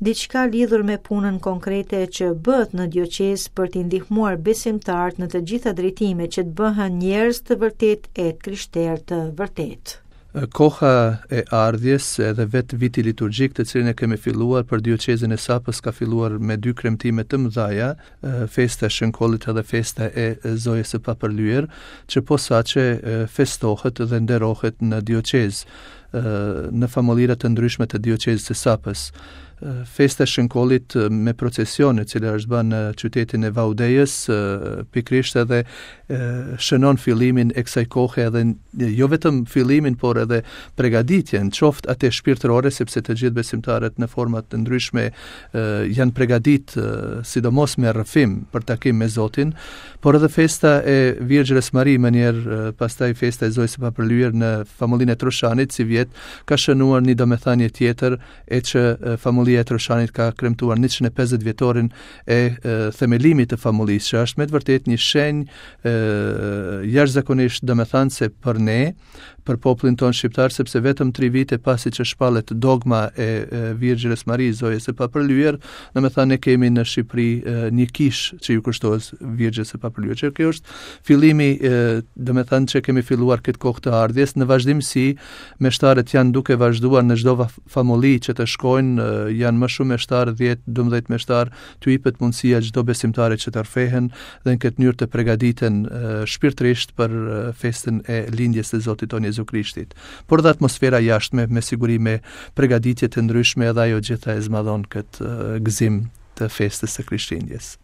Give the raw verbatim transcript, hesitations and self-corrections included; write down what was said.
Diçka lidhur me punën konkrete që bëhet në dioqezë për t'i ndihmuar besimtarët në të gjitha drejtimet që të bëhen njerëz të vërtetë e të krishterë të vërtetë. Koha e ardhjes edhe vetë viti liturgjik të cilin e kemi filluar për dioqezën e Sapës ka filluar me dy kremtime të mëdha, festa e Shënkollit edhe festa e Zojës së Papërlyer, që posaçe festohet dhe nderohet në dioqezë, në famullirat të ndryshme të dioqezës së Sapës. Festa e Shënkollit me procesion, e cila është bërë në qytetin e Vaudejës, pikërisht edhe shënon fillimin e kësaj kohe edhe jo vetëm fillimin, por edhe pregaditjen, qoftë atë shpirtërore, sepse të gjithë besimtarët në forma të ndryshme janë pregadit, sidomos me rrëfim për takim me Zotin, por edhe festa e Virgjërës Mari, më njëherë pastaj festa e Zojës së Papërlyer në famullinë e Troshanit, si vjet ka shënuar një domethënie tjetër e që famullia e Troshanit ka kremtuar njëqind e pesëdhjetë vjetorin e, e themelimit të famullisë, që është me të vërtetë një shenjë jashtëzakonisht domethënëse për ne, për popullin tonë shqiptar, sepse vetëm tri vite pasi që shpallet dogma e, e Virgjërës Mari, Zojës së Papërlyer, domethënë ne kemi në Shqipëri e, një kishë që ju kushtohet Virgjërës së Papërlyer. Që kjo është fillimi, e, domethënë që kemi filluar këtë kohë të ardhjes. Në vazhdimsi, meshtarët janë duke vazhduar në çdo famulli që të shkojnë, janë më shumë meshtar, dhjetë, dymbëdhjetë meshtar, t'u jepet mundësia çdo besimtari që të rrëfehen dhe në këtë mënyrë të përgatiten shpirtërisht për festën e lindjes së Zotit tonë Jezu Krishtit. Por dhe atmosfera jashtme me siguri me përgatitje të ndryshme edhe ajo gjitha e zmadhon këtë gëzim të festës së Krishtlindjes.